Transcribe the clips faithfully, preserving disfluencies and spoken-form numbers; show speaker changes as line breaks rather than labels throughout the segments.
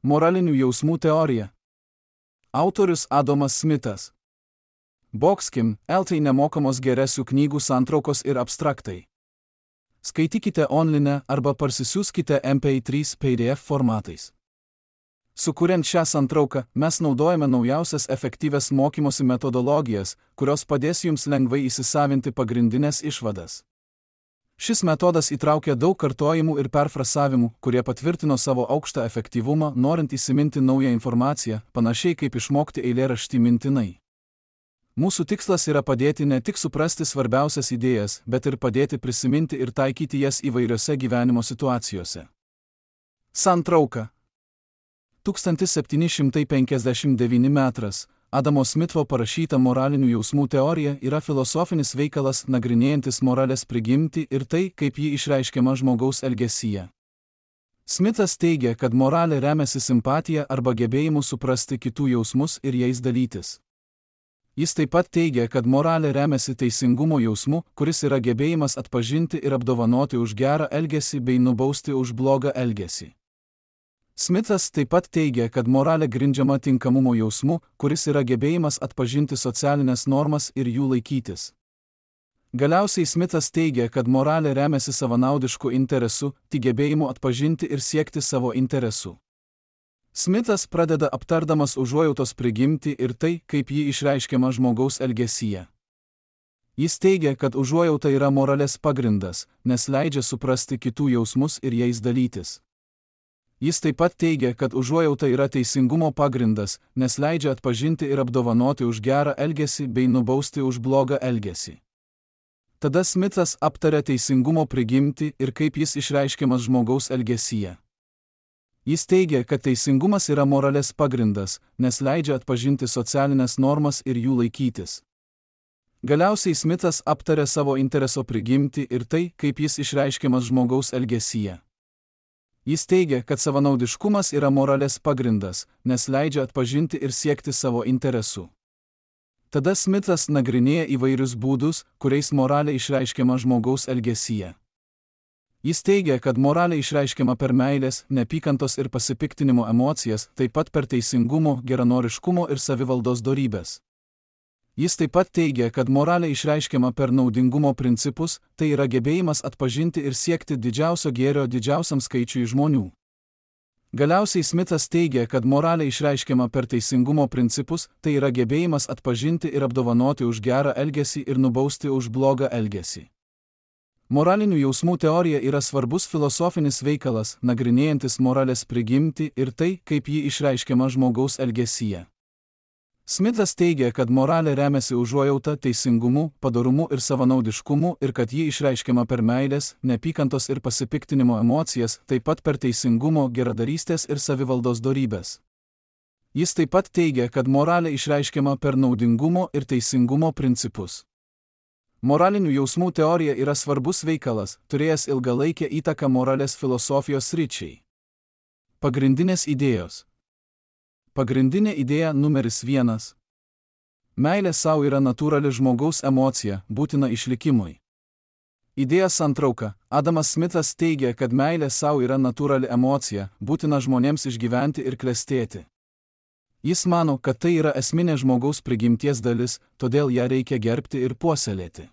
Moralinių jausmų teorija. Autorius Adamas Smithas. Boxkim, Eltai nemokamos geresių knygų santraukos ir abstraktai. Skaitykite online arba parsisiųskite M P trys P D F formatais. Sukuriant šią santrauką, mes naudojame naujausias efektyvias mokymosi metodologijas, kurios padės jums lengvai įsisavinti pagrindinės išvadas. Šis metodas įtraukia daug kartojimų ir perfrasavimų, kurie patvirtino savo aukštą efektyvumą, norint įsiminti naują informaciją, panašiai kaip išmokti eilėraštį mintinai. Mūsų tikslas yra padėti ne tik suprasti svarbiausias idėjas, bet ir padėti prisiminti ir taikyti jas įvairiose gyvenimo situacijose. Santrauka. tūkstantis septyni šimtai penkiasdešimt devyni metras. Adamo Smitho parašyta moralinių jausmų teorija yra filosofinis veikalas nagrinėjantis moralės prigimtį ir tai, kaip ji išreiškiama žmogaus elgesyje. Smithas teigia, kad moralė remiasi simpatija arba gebėjimu suprasti kitų jausmus ir jais dalytis. Jis taip pat teigia, kad moralė remiasi teisingumo jausmu, kuris yra gebėjimas atpažinti ir apdovanoti už gerą elgesį bei nubausti už blogą elgesį. Smithas taip pat teigia, kad moralė grindžiama tinkamumo jausmu, kuris yra gebėjimas atpažinti socialinės normas ir jų laikytis. Galiausiai Smithas teigia, kad moralė remiasi savanaudišku interesu, tik gebėjimu atpažinti ir siekti savo interesų. Smithas pradeda aptardamas užuojautos prigimtį ir tai, kaip ji išreiškiama žmogaus elgesyje. Jis teigia, kad užuojauta yra moralės pagrindas, nes leidžia suprasti kitų jausmus ir jais dalytis. Jis taip pat teigia, kad užuojauta yra teisingumo pagrindas, nes leidžia atpažinti ir apdovanoti už gerą elgesį bei nubausti už blogą elgesį. Tada Smithas aptaria teisingumo prigimtį ir kaip jis išreiškiamas žmogaus elgesyje. Jis teigia, kad teisingumas yra moralės pagrindas, nes leidžia atpažinti socialinės normas ir jų laikytis. Galiausiai Smithas aptaria savo intereso prigimtį ir tai, kaip jis išreiškiamas žmogaus elgesyje. Jis teigia, kad savanaudiškumas yra moralės pagrindas, nes leidžia atpažinti ir siekti savo interesų. Tada Smithas nagrinėja įvairius būdus, kuriais moralė išreiškiama žmogaus elgesyje. Jis teigia, kad moralė išreiškiama per meilės, neapykantos ir pasipiktinimo emocijas, taip pat per teisingumo, geranoriškumo ir savivaldos dorybes. Jis taip pat teigia, kad moralė išreiškiama per naudingumo principus, tai yra gebėjimas atpažinti ir siekti didžiausio gėrio didžiausiam skaičiui žmonių. Galiausiai Smithas teigia, kad moralė išreiškiama per teisingumo principus, tai yra gebėjimas atpažinti ir apdovanoti už gerą elgesį ir nubausti už blogą elgesį. Moralinių jausmų teorija yra svarbus filosofinis veikalas, nagrinėjantis moralės prigimtį ir tai, kaip ji išreiškiama žmogaus elgesyje. Smithas teigia, kad moralė remiasi užuojauta, teisingumu, padorumu ir savanaudiškumu ir kad ji išreiškiama per meilės, neapykantos ir pasipiktinimo emocijas, taip pat per teisingumo, geradarystės ir savivaldos dorybes. Jis taip pat teigia, kad moralė išreiškiama per naudingumo ir teisingumo principus. Moralinių jausmų teorija yra svarbus veikalas, turėjęs ilgalaikę įtaką moralės filosofijos sričiai. Pagrindinės idėjos. Pagrindinė idėja numeris vienas. Meilė savo yra natūrali žmogaus emocija, būtina išlikimui. Idėja santrauka. Adamas Smithas teigia, kad meilė savo yra natūrali emocija, būtina žmonėms išgyventi ir klestėti. Jis mano, kad tai yra esminė žmogaus prigimties dalis, todėl ją reikia gerbti ir puoselėti.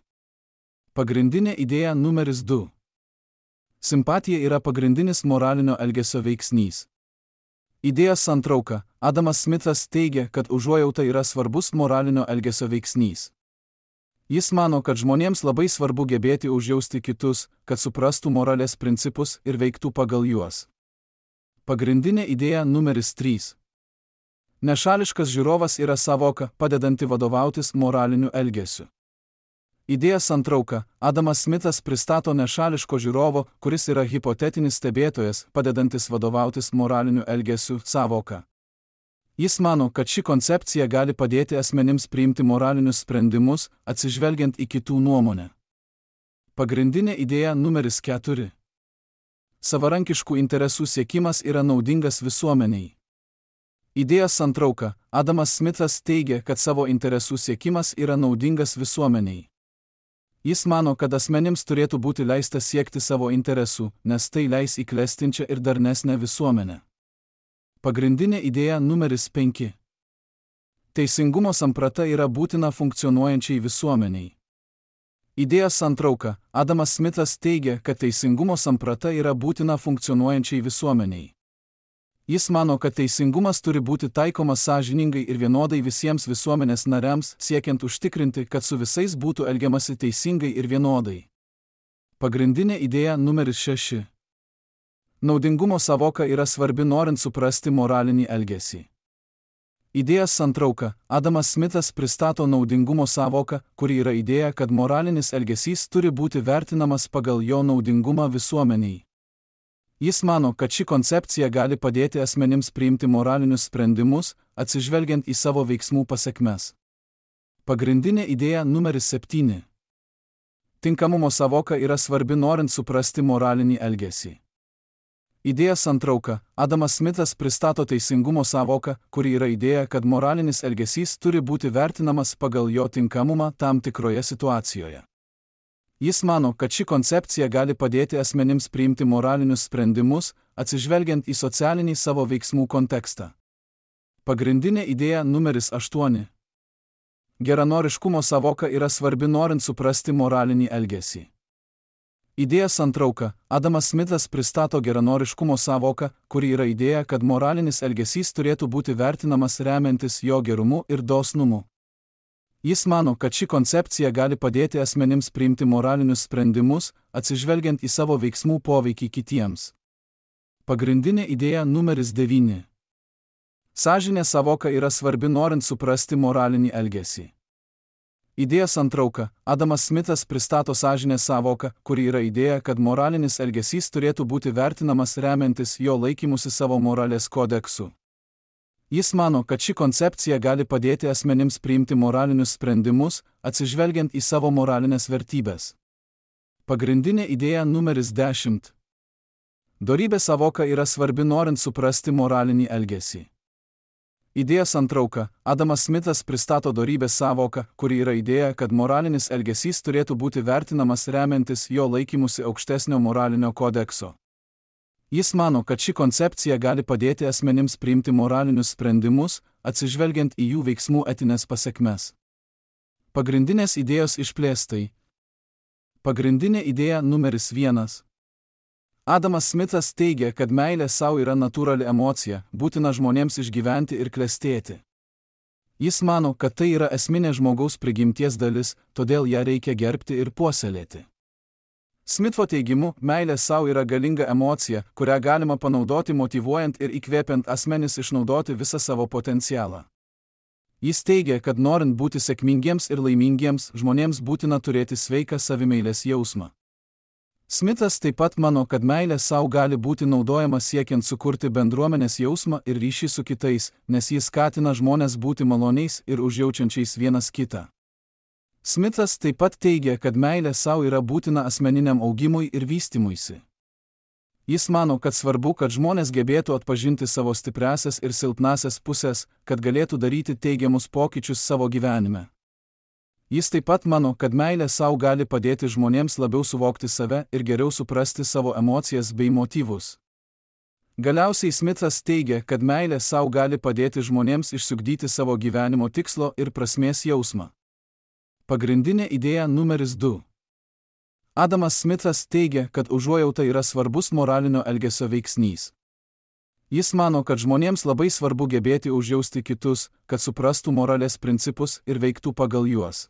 Pagrindinė idėja numeris du. Simpatija yra pagrindinis moralinio elgesio veiksnys. Idėja santrauka. Adamas Smithas teigia, kad užuojauta yra svarbus moralinio elgesio veiksnys. Jis mano, kad žmonėms labai svarbu gebėti užjausti kitus, kad suprastų moralės principus ir veiktų pagal juos. Pagrindinė idėja numeris trys. Nešališkas žiūrovas yra savoka, padedanti vadovautis moraliniu elgesiu. Idėja santrauka. Adamas Smithas pristato nešališko žiūrovo, kuris yra hipotetinis stebėtojas, padedantis vadovautis moraliniu elgesiu, savoka. Jis mano, kad ši koncepcija gali padėti asmenims priimti moralinius sprendimus, atsižvelgiant į kitų nuomonę. Pagrindinė idėja numeris keturi. Savarankiškų interesų siekimas yra naudingas visuomeniai. Idėja santrauka. Adamas Smithas teigia, kad savo interesų siekimas yra naudingas visuomeniai. Jis mano, kad asmenims turėtų būti leista siekti savo interesų, nes tai leis į klestinčią ir darnesnę visuomenę. Pagrindinė idėja numeris penki. Teisingumo samprata yra būtina funkcionuojančiai visuomeniai. Idėjos santrauka. Adamas Smithas teigia, kad teisingumo samprata yra būtina funkcionuojančiai visuomeniai. Jis mano, kad teisingumas turi būti taikomas sąžiningai ir vienodai visiems visuomenės nariams, siekiant užtikrinti, kad su visais būtų elgiamasi teisingai ir vienodai. Pagrindinė idėja numeris šeši. Naudingumo sąvoka yra svarbi norint suprasti moralinį elgesį. Idėjos santrauka. Adamas Smithas pristato naudingumo sąvoką, kuri yra idėja, kad moralinis elgesys turi būti vertinamas pagal jo naudingumą visuomeniai. Jis mano, kad ši koncepcija gali padėti asmenims priimti moralinius sprendimus, atsižvelgiant į savo veiksmų pasekmes. Pagrindinė idėja numeris septyni. Tinkamumo sąvoka yra svarbi norint suprasti moralinį elgesį. Idėjos santrauka. Adamas Smithas pristato teisingumo sąvoką, kuri yra idėja, kad moralinis elgesys turi būti vertinamas pagal jo tinkamumą tam tikroje situacijoje. Jis mano, kad ši koncepcija gali padėti asmenims priimti moralinius sprendimus, atsižvelgiant į socialinį savo veiksmų kontekstą. Pagrindinė idėja numeris aštuoni. Geranoriškumo sąvoka yra svarbi norint suprasti moralinį elgesį. Idėjos santrauka. Adamas Smithas pristato geranoriškumo sąvoką, kuri yra idėja, kad moralinis elgesys turėtų būti vertinamas remiantis jo gerumu ir dosnumu. Jis mano, kad ši koncepcija gali padėti asmenims priimti moralinius sprendimus, atsižvelgiant į savo veiksmų poveikį kitiems. Pagrindinė idėja numeris devyni. Sąžinės sąvoka yra svarbi norint suprasti moralinį elgesį. Idėjos santrauka. Adamas Smithas pristato sąžinės sąvoką, kuri yra idėja, kad moralinis elgesys turėtų būti vertinamas remiantis jo laikymusi savo moralės kodeksu. Jis mano, kad ši koncepcija gali padėti asmenims priimti moralinius sprendimus, atsižvelgiant į savo moralinės vertybės. Pagrindinė idėja numeris dešimt. Dorybės sąvoka yra svarbi norint suprasti moralinį elgesį. Idėjos santrauka. Adamas Smithas pristato dorybės sąvoką, kuri yra idėja, kad moralinis elgesys turėtų būti vertinamas remiantis jo laikymusi aukštesnio moralinio kodekso. Jis mano, kad ši koncepcija gali padėti asmenims priimti moralinius sprendimus, atsižvelgiant į jų veiksmų etinės pasekmes. Pagrindinės idėjos išplėstai. Pagrindinė idėja numeris vienas. Adamas Smithas teigia, kad meilė savo yra natūrali emocija, būtina žmonėms išgyventi ir klestėti. Jis mano, kad tai yra esminė žmogaus prigimties dalis, todėl ją reikia gerbti ir puoselėti. Smitho teigimu, meilė savo yra galinga emocija, kurią galima panaudoti motyvuojant ir įkvėpiant asmenis išnaudoti visą savo potencialą. Jis teigia, kad norint būti sėkmingiems ir laimingiems, žmonėms būtina turėti sveiką savimeilės jausmą. Smithas taip pat mano, kad meilė savo gali būti naudojama siekiant sukurti bendruomenės jausmą ir ryšį su kitais, nes jis skatina žmones būti maloniais ir užjaučiančiais vienas kitą. Smithas taip pat teigia, kad meilė savo yra būtina asmeniniam augimui ir vystymuisi. Jis mano, kad svarbu, kad žmonės gebėtų atpažinti savo stipriąsias ir silpnąsias pusės, kad galėtų daryti teigiamus pokyčius savo gyvenime. Jis taip pat mano, kad meilė savo gali padėti žmonėms labiau suvokti save ir geriau suprasti savo emocijas bei motyvus. Galiausiai Smithas teigia, kad meilė savo gali padėti žmonėms išsiugdyti savo gyvenimo tikslo ir prasmės jausmą. Pagrindinė idėja numeris du. Adamas Smithas teigia, kad užuojauta yra svarbus moralinio elgesio veiksnys. Jis mano, kad žmonėms labai svarbu gebėti užjausti kitus, kad suprastų moralės principus ir veiktų pagal juos.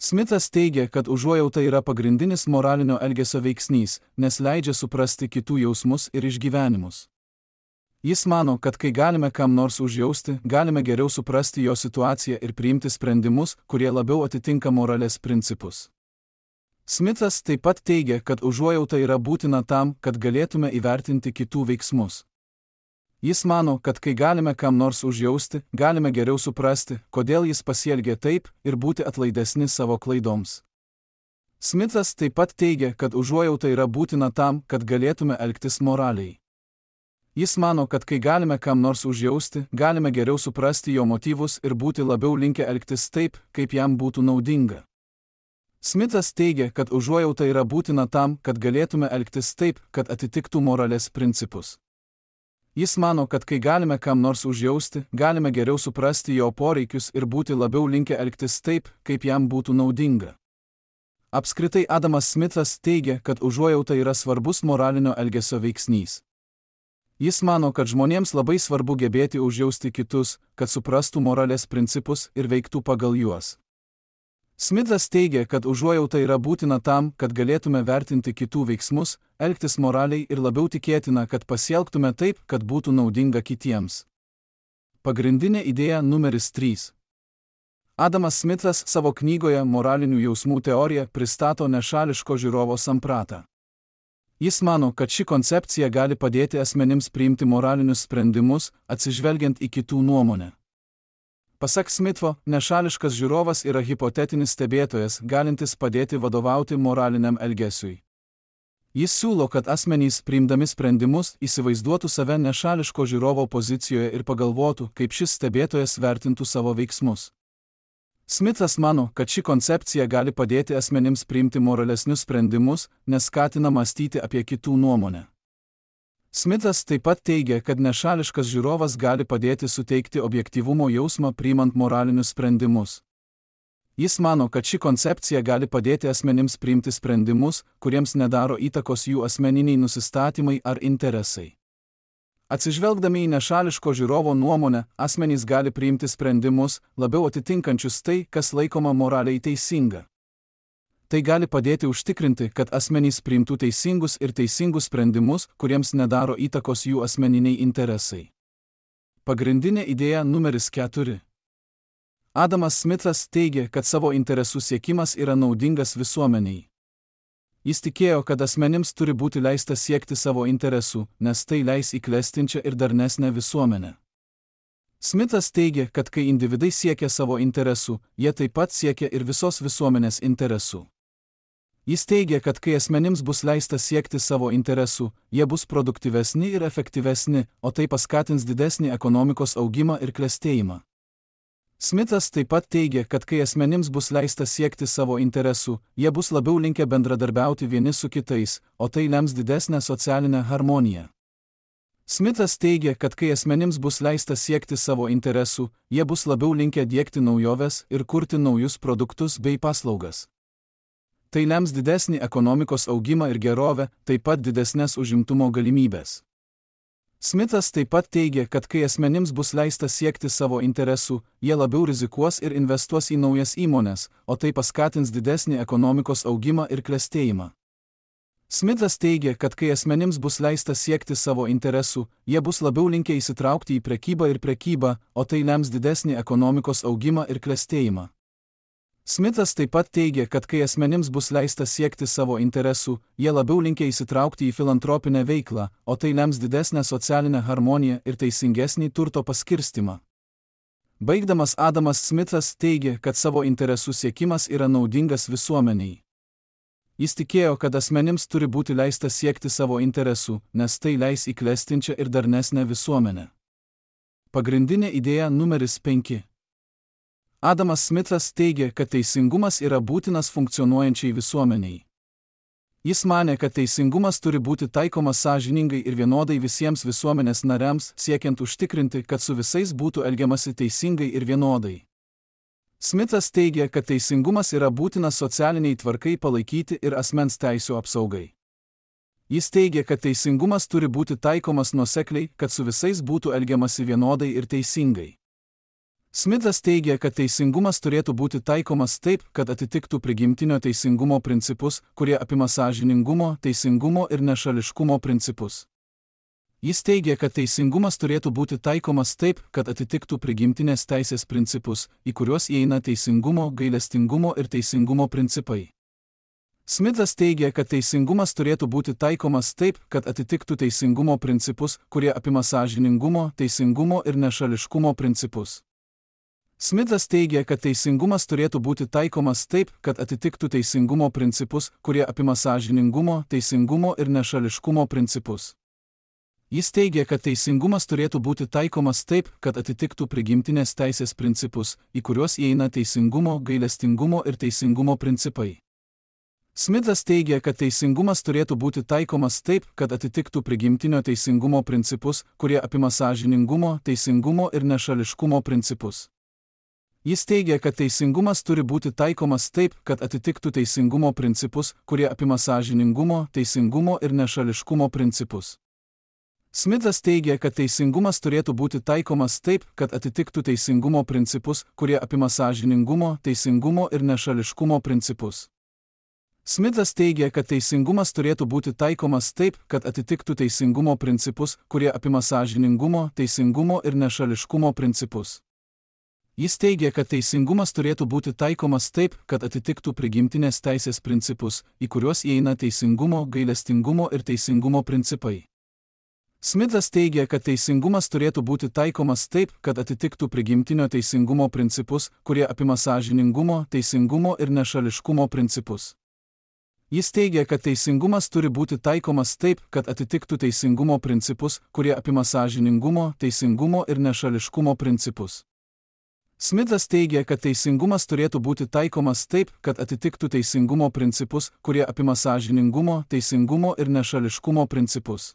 Smithas teigia, kad užuojauta yra pagrindinis moralinio elgesio veiksnys, nes leidžia suprasti kitų jausmus ir išgyvenimus. Jis mano, kad kai galime kam nors užjausti, galime geriau suprasti jo situaciją ir priimti sprendimus, kurie labiau atitinka moralės principus. Smithas taip pat teigia, kad užuojauta yra būtina tam, kad galėtume įvertinti kitų veiksmus. Jis mano, kad kai galime kam nors užjausti, galime geriau suprasti, kodėl jis pasielgė taip ir būti atlaidesni savo klaidoms. Smithas taip pat teigia, kad užuojauta yra būtina tam, kad galėtume elgtis moraliai. Jis mano, kad kai galime kam nors užjausti, galime geriau suprasti jo motyvus ir būti labiau linkę elgtis taip, kaip jam būtų naudinga. Smithas teigia, kad užuojauta yra būtina tam, kad galėtume elgtis taip, kad atitiktų moralės principus. Jis mano, kad kai galime kam nors užjausti, galime geriau suprasti jo poreikius ir būti labiau linkę elgtis taip, kaip jam būtų naudinga. Apskritai Adamas Smithas teigia, kad užuojauta yra svarbus moralinio elgesio veiksnys. Jis mano, kad žmonėms labai svarbu gebėti užjausti kitus, kad suprastų moralės principus ir veiktų pagal juos. Smithas teigia, kad užuojauta yra būtina tam, kad galėtume vertinti kitų veiksmus, elgtis moraliai ir labiau tikėtina, kad pasielgtume taip, kad būtų naudinga kitiems. Pagrindinė idėja numeris trys. Adamas Smithas savo knygoje Moralinių jausmų teorija pristato nešališko žiūrovo sampratą. Jis mano, kad ši koncepcija gali padėti asmenims priimti moralinius sprendimus, atsižvelgiant į kitų nuomonę. Pasak Smitho, nešališkas žiūrovas yra hipotetinis stebėtojas, galintis padėti vadovauti moraliniam elgesiui. Jis siūlo, kad asmenys priimdami sprendimus įsivaizduotų save nešališko žiūrovo pozicijoje ir pagalvotų, kaip šis stebėtojas vertintų savo veiksmus. Smithas mano, kad ši koncepcija gali padėti asmenims priimti moralesnius sprendimus, nes skatina mąstyti apie kitų nuomonę. Smithas taip pat teigia, kad nešališkas žiūrovas gali padėti suteikti objektyvumo jausmą priimant moralinius sprendimus. Jis mano, kad ši koncepcija gali padėti asmenims priimti sprendimus, kuriems nedaro įtakos jų asmeniniai nusistatymai ar interesai. Atsižvelgdami į nešališko žiūrovo nuomonę, asmenys gali priimti sprendimus, labiau atitinkančius tai, kas laikoma moraliai teisinga. Tai gali padėti užtikrinti, kad asmenys priimtų teisingus ir teisingus sprendimus, kuriems nedaro įtakos jų asmeniniai interesai. Pagrindinė idėja numeris keturi. Adamas Smithas teigia, kad savo interesų siekimas yra naudingas visuomeniai. Jis tikėjo, kad asmenims turi būti leista siekti savo interesų, nes tai leis į klestinčią ir darnesnę visuomenę. Smithas teigia, kad kai individai siekia savo interesų, jie taip pat siekia ir visos visuomenės interesų. Jis teigia, kad kai asmenims bus leista siekti savo interesų, jie bus produktyvesni ir efektyvesni, o tai paskatins didesnį ekonomikos augimą ir klestėjimą. Smithas taip pat teigia, kad kai asmenims bus leista siekti savo interesų, jie bus labiau linkę bendradarbiauti vieni su kitais, o tai lems didesnę socialinę harmoniją. Smithas teigia, kad kai asmenims bus leista siekti savo interesų, jie bus labiau linkę diegti naujoves ir kurti naujus produktus bei paslaugas. Tai lems didesnį ekonomikos augimą ir gerovę, taip pat didesnės užimtumo galimybės. Smithas taip pat teigia, kad kai asmenims bus leista siekti savo interesų, jie labiau rizikuos ir investuos į naujas įmones, o tai paskatins didesnį ekonomikos augimą ir klestėjimą. Smithas teigia, kad kai asmenims bus leista siekti savo interesų, jie bus labiau linkę įsitraukti į prekybą ir prekybą, o tai lems didesnį ekonomikos augimą ir klestėjimą. Smithas taip pat teigia, kad kai asmenims bus leista siekti savo interesų, jie labiau linkę įsitraukti į filantropinę veiklą, o tai lems didesnę socialinę harmoniją ir teisingesnį turto paskirstimą. Baigdamas Adamas Smithas teigia, kad savo interesų siekimas yra naudingas visuomeniai. Jis tikėjo, kad asmenims turi būti leista siekti savo interesų, nes tai leis į klestinčią ir darnesnę visuomenę. Pagrindinė idėja numeris penki. Adamas Smithas teigia, kad teisingumas yra būtinas funkcionuojančiai visuomeniai. Jis manė, kad teisingumas turi būti taikomas sąžiningai ir vienodai visiems visuomenės nariams, siekiant užtikrinti, kad su visais būtų elgiamasi teisingai ir vienodai. Smithas teigia, kad teisingumas yra būtinas socialiniai tvarkai palaikyti ir asmens teisių apsaugai. Jis teigia, kad teisingumas turi būti taikomas nuosekliai, kad su visais būtų elgiamasi vienodai ir teisingai. Smithas teigia, kad teisingumas turėtų būti taikomas taip, kad atitiktų prigimtinio teisingumo principus, kurie apima sąžiningumo, teisingumo ir nešališkumo principus. Jis teigia, kad teisingumas turėtų būti taikomas taip, kad atitiktų prigimtinės teisės principus, į kuriuos įeina teisingumo, gailestingumo ir teisingumo principai. Smithas teigia, kad teisingumas turėtų būti taikomas taip, kad atitiktų teisingumo principus, kurie apima sąžiningumo, teisingumo ir nešališkumo principus. Smithas teigia, kad teisingumas turėtų būti taikomas taip, kad atitiktų teisingumo principus, kurie apima sąžiningumo, teisingumo ir nešališkumo principus. Jis teigia, kad teisingumas turėtų būti taikomas taip, kad atitiktų prigimtinės teisės principus, į kuriuos įeina teisingumo, gailestingumo ir teisingumo principai. Smithas teigia, kad teisingumas turėtų būti taikomas taip, kad atitiktų prigimtinio teisingumo principus, kurie apima sąžiningumo, teisingumo ir nešališkumo principus. Jis teigia, kad teisingumas turi būti taikomas taip, kad atitiktų teisingumo principus, kurie apima sąžiningumo, teisingumo ir nešališkumo principus. Smithas teigia, kad teisingumas turėtų būti taikomas taip, kad atitiktų teisingumo principus, kurie apima sąžiningumo, teisingumo ir nešališkumo principus. Smithas teigia, kad teisingumas turėtų būti taikomas taip, kad atitiktų teisingumo principus, kurie apima sąžiningumo, teisingumo ir nešališkumo principus. Jis teigia, kad teisingumas turėtų būti taikomas taip, kad atitiktų prigimtinės teisės principus, į kuriuos įeina teisingumo, gailestingumo ir teisingumo principai. Smithas teigia, kad teisingumas turėtų būti taikomas taip, kad atitiktų prigimtinio teisingumo principus, kurie apima sąžiningumo, teisingumo ir nešališkumo principus. Jis teigia, kad teisingumas turi būti taikomas taip, kad atitiktų teisingumo principus, kurie apima sąžiningumo, teisingumo ir nešališkumo principus. Smithas teigia, kad teisingumas turėtų būti taikomas taip, kad atitiktų teisingumo principus, kurie apima sąžiningumo, teisingumo ir nešališkumo principus.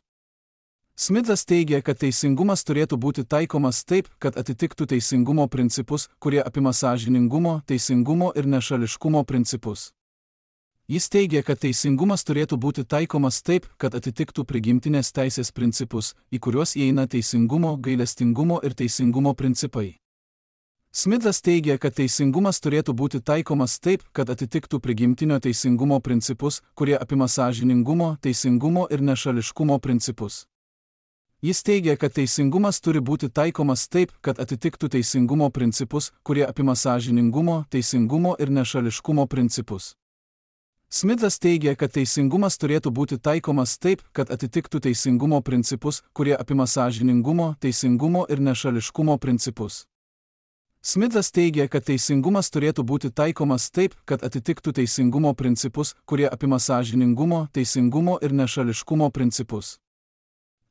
Smithas teigia, kad teisingumas turėtų būti taikomas taip, kad atitiktų teisingumo principus, kurie apima sąžiningumo, teisingumo ir nešališkumo principus. Jis teigia, kad teisingumas turėtų būti taikomas taip, kad atitiktų prigimtinės teisės principus, į kuriuos įeina teisingumo, gailestingumo ir teisingumo principai. Smithas teigia, kad teisingumas turėtų būti taikomas taip, kad atitiktų prigimtinio teisingumo principus, kurie apima sąžiningumo, teisingumo ir nešališkumo principus. Jis teigia, kad teisingumas turi būti taikomas taip, kad atitiktų teisingumo principus, kurie apima sąžiningumo, teisingumo ir nešališkumo principus. Smithas teigia, kad teisingumas turėtų būti taikomas taip, kad atitiktų teisingumo principus, kurie apima sąžiningumo, teisingumo ir nešališkumo principus. Smithas teigia, kad teisingumas turėtų būti taikomas taip, kad atitiktų teisingumo principus, kurie apima sąžiningumo, teisingumo ir nešališkumo principus.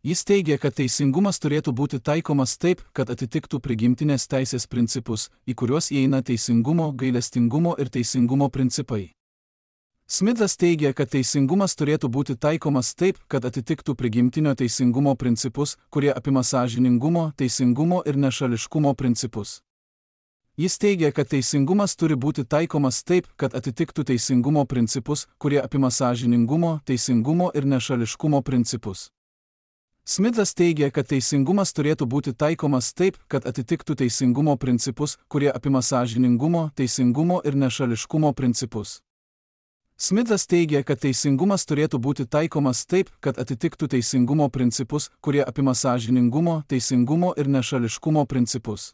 Jis teigia, kad teisingumas turėtų būti taikomas taip, kad atitiktų prigimtinės teisės principus, į kuriuos įeina teisingumo, gailestingumo ir teisingumo principai. Smithas teigia, kad teisingumas turėtų būti taikomas taip, kad atitiktų prigimtinio teisingumo principus, kurie apima sąžiningumo, teisingumo ir nešališkumo principus. Jis teigia, kad teisingumas turi būti taikomas taip, kad atitiktų teisingumo principus, kurie apima sąžiningumo, teisingumo ir nešališkumo principus. Smithas teigia, kad teisingumas turėtų būti taikomas taip, kad atitiktų teisingumo principus, kurie apima sąžiningumo, teisingumo ir nešališkumo principus. Smithas teigia, kad teisingumas turėtų būti taikomas taip, kad atitiktų teisingumo principus, kurie apima sąžiningumo, teisingumo ir nešališkumo principus.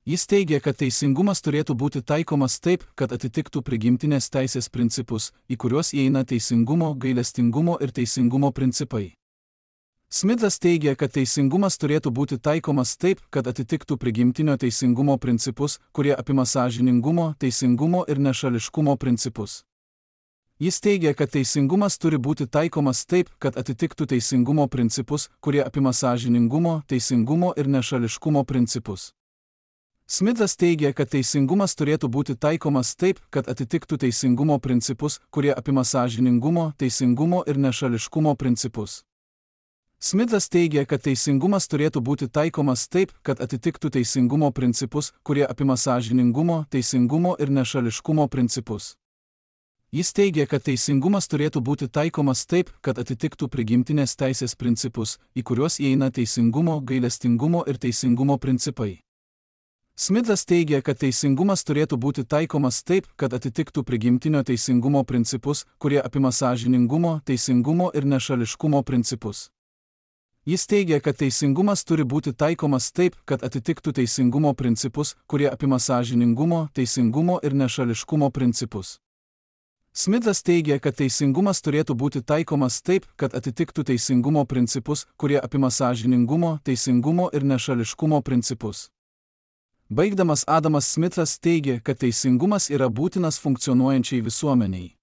Jis teigia, kad teisingumas turėtų būti taikomas taip, kad atitiktų prigimtinės teisės principus, į kuriuos įeina teisingumo, gailestingumo ir teisingumo principai. Smithas teigia, kad teisingumas turėtų būti taikomas taip, kad atitiktų prigimtinio teisingumo principus, kurie apima sąžiningumo, teisingumo ir nešališkumo principus. Jis teigia, kad teisingumas turi būti taikomas taip, kad atitiktų teisingumo principus, kurie apima sąžiningumo, teisingumo ir nešališkumo principus. Smithas teigia, kad teisingumas turėtų būti taikomas taip, kad atitiktų teisingumo principus, kurie apima sąžiningumo, teisingumo ir nešališkumo principus. Smithas teigia, kad teisingumas turėtų būti taikomas taip, kad atitiktų teisingumo principus, kurie apima sąžiningumo, teisingumo ir nešališkumo principus. Jis teigia, kad teisingumas turėtų būti taikomas taip, kad atitiktų prigimtinės teisės principus, į kuriuos įeina teisingumo, gailestingumo ir teisingumo principai. Smithas teigia, kad teisingumas turėtų būti taikomas taip, kad atitiktų prigimtinio teisingumo principus, kurie apima sąžiningumo, teisingumo ir nešališkumo principus. Jis teigia, kad teisingumas turi būti taikomas taip, kad atitiktų teisingumo principus, kurie apima sąžiningumo, teisingumo ir nešališkumo principus. Smithas teigia, kad teisingumas turėtų būti taikomas taip, kad atitiktų teisingumo principus, kurie apima sąžiningumo, teisingumo ir nešališkumo principus. Baigdamas Adamas Smithas teigia, kad teisingumas yra būtinas funkcionuojančiai visuomeniai.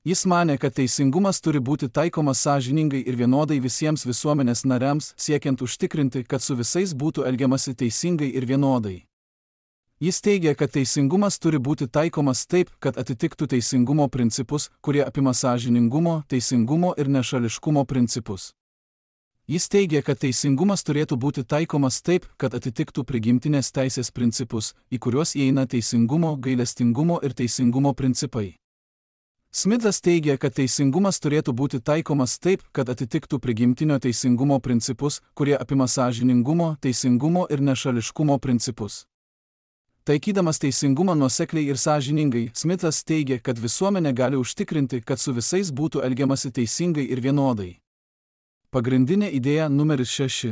Jis manė, kad teisingumas turi būti taikomas sąžiningai ir vienodai visiems visuomenės nariams, siekiant užtikrinti, kad su visais būtų elgiamasi teisingai ir vienodai. Jis teigia, kad teisingumas turi būti taikomas taip, kad atitiktų teisingumo principus, kurie apima sąžiningumo, teisingumo ir nešališkumo principus. Jis teigia, kad teisingumas turėtų būti taikomas taip, kad atitiktų prigimtinės teisės principus, į kuriuos įeina teisingumo, gailestingumo ir teisingumo principai. Smithas teigia, kad teisingumas turėtų būti taikomas taip, kad atitiktų prigimtinio teisingumo principus, kurie apima sąžiningumo, teisingumo ir nešališkumo principus. Taikydamas teisingumą nuosekliai ir sąžiningai, Smithas teigia, kad visuomenė gali užtikrinti, kad su visais būtų elgiamasi teisingai ir vienodai. Pagrindinė idėja numeris šeši.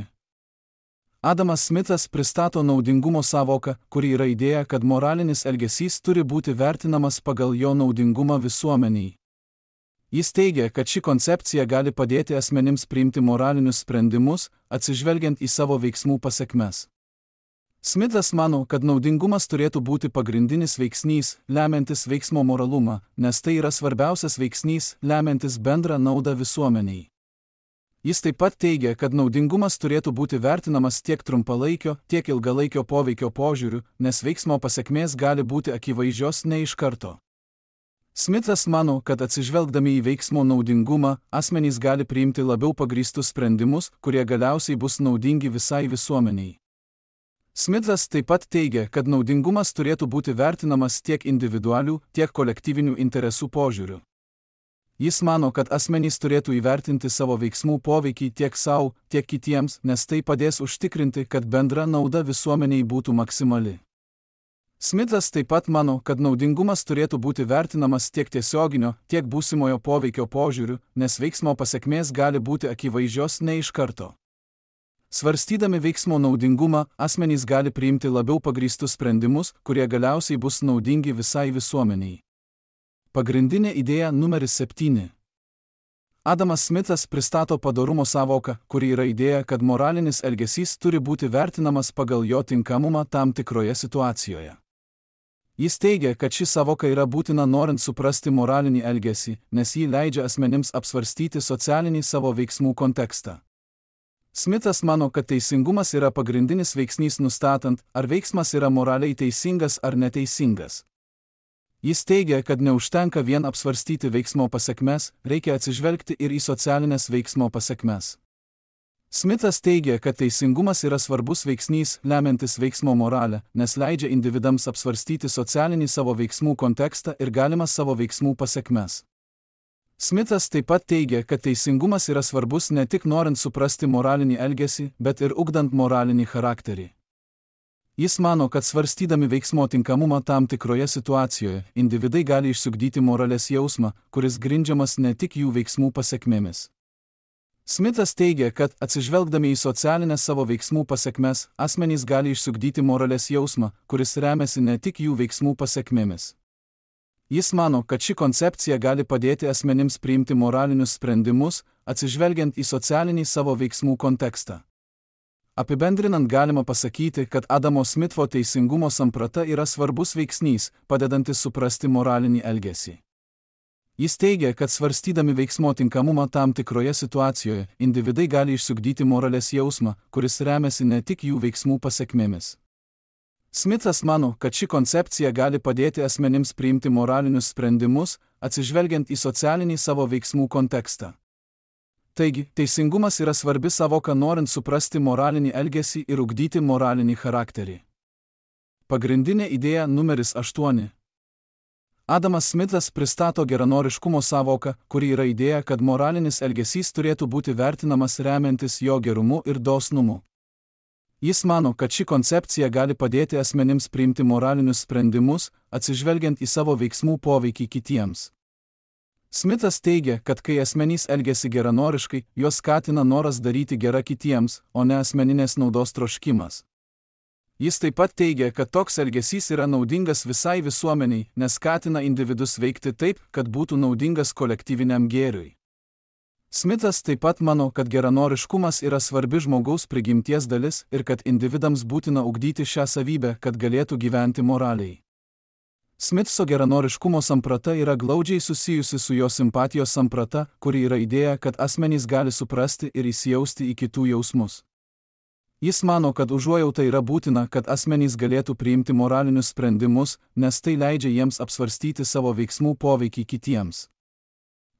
Adamas Smithas pristato naudingumo sąvoką, kuri yra idėja, kad moralinis elgesys turi būti vertinamas pagal jo naudingumą visuomeniai. Jis teigia, kad ši koncepcija gali padėti asmenims priimti moralinius sprendimus, atsižvelgiant į savo veiksmų pasekmes. Smithas mano, kad naudingumas turėtų būti pagrindinis veiksnys, lemiantis veiksmo moralumą, nes tai yra svarbiausias veiksnys, lemiantis bendrą naudą visuomeniai. Jis taip pat teigia, kad naudingumas turėtų būti vertinamas tiek trumpalaikio, tiek ilgalaikio poveikio požiūriu, nes veiksmo pasekmės gali būti akivaizdžios ne iš karto. Smithas mano, kad atsižvelgdami į veiksmo naudingumą, asmenys gali priimti labiau pagrįstus sprendimus, kurie galiausiai bus naudingi visai visuomeniai. Smithas taip pat teigia, kad naudingumas turėtų būti vertinamas tiek individualių, tiek kolektyvinių interesų požiūriu. Jis mano, kad asmenys turėtų įvertinti savo veiksmų poveikį tiek savo, tiek kitiems, nes tai padės užtikrinti, kad bendra nauda visuomeniai būtų maksimali. Smithas taip pat mano, kad naudingumas turėtų būti vertinamas tiek tiesioginio, tiek būsimojo poveikio požiūriu, nes veiksmo pasekmės gali būti akivaizdžios ne iš karto. Svarstydami veiksmo naudingumą, asmenys gali priimti labiau pagrįstus sprendimus, kurie galiausiai bus naudingi visai visuomeniai. Pagrindinė idėja numeris septyni. Adamas Smithas pristato padorumo sąvoką, kuri yra idėja, kad moralinis elgesys turi būti vertinamas pagal jo tinkamumą tam tikroje situacijoje. Jis teigia, kad ši sąvoka yra būtina norint suprasti moralinį elgesį, nes jį leidžia asmenims apsvarstyti socialinį savo veiksmų kontekstą. Smithas mano, kad teisingumas yra pagrindinis veiksnys nustatant, ar veiksmas yra moraliai teisingas ar neteisingas. Jis teigia, kad neužtenka vien apsvarstyti veiksmo pasekmes, reikia atsižvelgti ir į socialinės veiksmo pasekmes. Smithas teigia, kad teisingumas yra svarbus veiksnys, lemiantis veiksmo moralę, nes leidžia individams apsvarstyti socialinį savo veiksmų kontekstą ir galimas savo veiksmų pasekmes. Smithas taip pat teigia, kad teisingumas yra svarbus ne tik norint suprasti moralinį elgesį, bet ir ugdant moralinį charakterį. Jis mano, kad svarstydami veiksmo tinkamumą tam tikroje situacijoje, individai gali išsiugdyti moralės jausmą, kuris grindžiamas ne tik jų veiksmų pasekmėmis. Smithas teigia, kad atsižvelgdami į socialinės savo veiksmų pasekmes, asmenys gali išsiugdyti moralės jausmą, kuris remiasi ne tik jų veiksmų pasekmėmis. Jis mano, kad ši koncepcija gali padėti asmenims priimti moralinius sprendimus, atsižvelgiant į socialinį savo veiksmų kontekstą. Apibendrinant galima pasakyti, kad Adamo Smitho teisingumo samprata yra svarbus veiksnys, padedantis suprasti moralinį elgesį. Jis teigia, kad svarstydami veiksmo tinkamumą tam tikroje situacijoje, individai gali išsiugdyti moralės jausmą, kuris remiasi ne tik jų veiksmų pasekmėmis. Smithas mano, kad ši koncepcija gali padėti asmenims priimti moralinius sprendimus, atsižvelgiant į socialinį savo veiksmų kontekstą. Taigi, teisingumas yra svarbi sąvoka norint suprasti moralinį elgesį ir ugdyti moralinį charakterį. Pagrindinė idėja numeris aštuoni. Adamas Smithas pristato geranoriškumo sąvoką, kuri yra idėja, kad moralinis elgesys turėtų būti vertinamas remiantis jo gerumu ir dosnumu. Jis mano, kad ši koncepcija gali padėti asmenims priimti moralinius sprendimus, atsižvelgiant į savo veiksmų poveikį kitiems. Smithas teigia, kad kai asmenys elgiasi geranoriškai, juos skatina noras daryti gerą kitiems, o ne asmeninės naudos troškimas. Jis taip pat teigia, kad toks elgesys yra naudingas visai visuomeniai, nes skatina individus veikti taip, kad būtų naudingas kolektyviniam gėriui. Smithas taip pat mano, kad geranoriškumas yra svarbi žmogaus prigimties dalis ir kad individams būtina ugdyti šią savybę, kad galėtų gyventi moraliai. Smithso geranoriškumo samprata yra glaudžiai susijusi su jo simpatijos samprata, kuri yra idėja, kad asmenys gali suprasti ir įsijausti į kitų jausmus. Jis mano, kad užuojauta yra būtina, kad asmenys galėtų priimti moralinius sprendimus, nes tai leidžia jiems apsvarstyti savo veiksmų poveikį kitiems.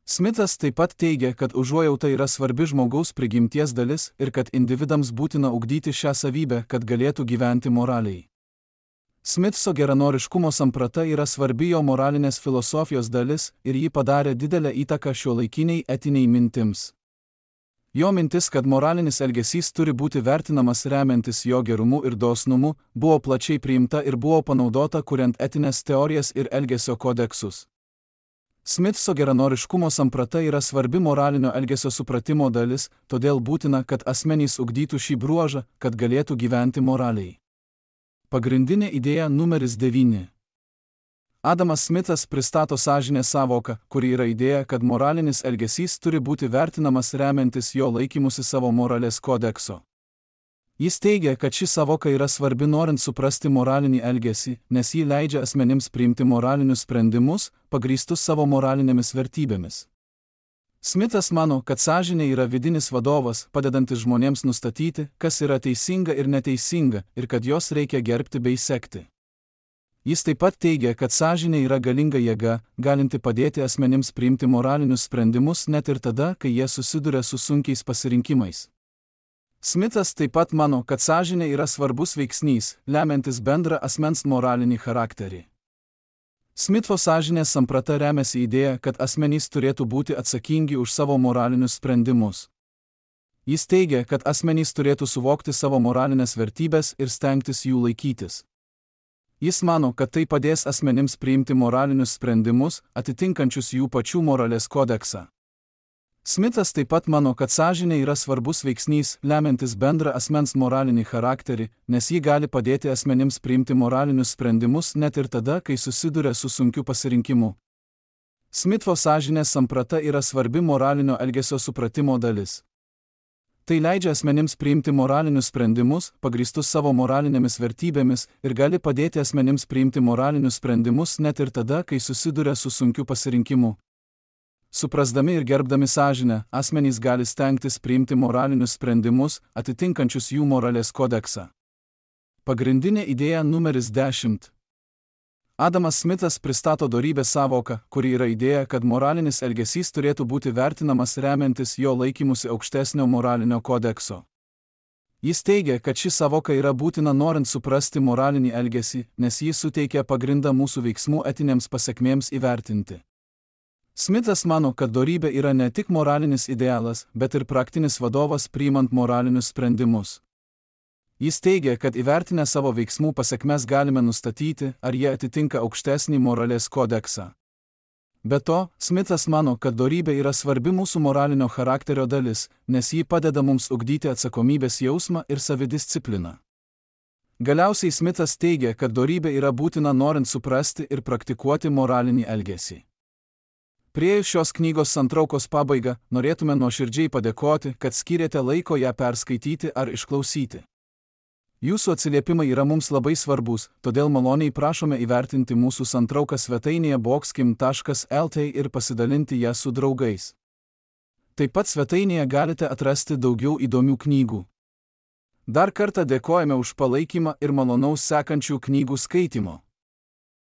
Smithas taip pat teigia, kad užuojauta yra svarbi žmogaus prigimties dalis ir kad individams būtina ugdyti šią savybę, kad galėtų gyventi moraliai. Smithso geranoriškumo samprata yra svarbi jo moralinės filosofijos dalis ir ji padarė didelę įtaką šiuolaikiniai etiniai mintims. Jo mintis, kad moralinis elgesys turi būti vertinamas remiantis jo gerumu ir dosnumu, buvo plačiai priimta ir buvo panaudota kuriant etinės teorijas ir elgesio kodeksus. Smithso geranoriškumo samprata yra svarbi moralinio elgesio supratimo dalis, todėl būtina, kad asmenys ugdytų šį bruožą, kad galėtų gyventi moraliai. Pagrindinė idėja numeris devyni. Adamas Smithas pristato sąžinės sąvoką, kuri yra idėja, kad moralinis elgesys turi būti vertinamas remiantis jo laikymusi savo moralės kodekso. Jis teigia, kad ši sąvoka yra svarbi norint suprasti moralinį elgesį, nes ji leidžia asmenims priimti moralinius sprendimus, pagrįstus savo moralinėmis vertybėmis. Smithas mano, kad sąžinė yra vidinis vadovas, padedantis žmonėms nustatyti, kas yra teisinga ir neteisinga, ir kad jos reikia gerbti bei sekti. Jis taip pat teigia, kad sąžinė yra galinga jėga, galinti padėti asmenims priimti moralinius sprendimus net ir tada, kai jie susiduria su sunkiais pasirinkimais. Smithas taip pat mano, kad sąžinė yra svarbus veiksnys, lemiantis bendrą asmens moralinį charakterį. Smitho sąžinės samprata remiasi idėja, kad asmenys turėtų būti atsakingi už savo moralinius sprendimus. Jis teigia, kad asmenys turėtų suvokti savo moralinės vertybės ir stengtis jų laikytis. Jis mano, kad tai padės asmenims priimti moralinius sprendimus, atitinkančius jų pačių moralės kodeksą. Smithas taip pat mano, kad sąžinė yra svarbus veiksnys, lemiantis bendrą asmens moralinį charakterį, nes ji gali padėti asmenims priimti moralinius sprendimus net ir tada, kai susiduria su sunkiu pasirinkimu. Smitho sąžinės samprata yra svarbi moralinio elgesio supratimo dalis. Tai leidžia asmenims priimti moralinius sprendimus, pagrįstus savo moralinėmis vertybėmis, ir gali padėti asmenims priimti moralinius sprendimus net ir tada, kai susiduria su sunkiu pasirinkimu. Suprasdami ir gerbdami sąžinę, asmenys gali stengtis priimti moralinius sprendimus, atitinkančius jų moralės kodeksą. Pagrindinė idėja numeris dešimt. Adamas Smithas pristato dorybės sąvoką, kuri yra idėja, kad moralinis elgesys turėtų būti vertinamas remiantis jo laikymusi aukštesnio moralinio kodekso. Jis teigia, kad ši sąvoka yra būtina norint suprasti moralinį elgesį, nes jis suteikia pagrindą mūsų veiksmų etinėms pasekmėms įvertinti. Smithas mano, kad dorybė yra ne tik moralinis idealas, bet ir praktinis vadovas priimant moralinius sprendimus. Jis teigia, kad įvertinę savo veiksmų pasekmes galime nustatyti, ar jie atitinka aukštesnį moralės kodeksą. Be to, Smithas mano, kad dorybė yra svarbi mūsų moralinio charakterio dalis, nes ji padeda mums ugdyti atsakomybės jausmą ir savidiscipliną. Galiausiai Smithas teigia, kad dorybė yra būtina norint suprasti ir praktikuoti moralinį elgesį. Priėjus šios knygos santraukos pabaigą, norėtume nuoširdžiai padėkoti, kad skyrėte laiko ją perskaityti ar išklausyti. Jūsų atsiliepimai yra mums labai svarbus, todėl maloniai prašome įvertinti mūsų santrauką svetainėje boxkim taškas el t ir pasidalinti ją su draugais. Taip pat svetainėje galite atrasti daugiau įdomių knygų. Dar kartą dėkojame už palaikymą ir malonaus sekančių knygų skaitimo.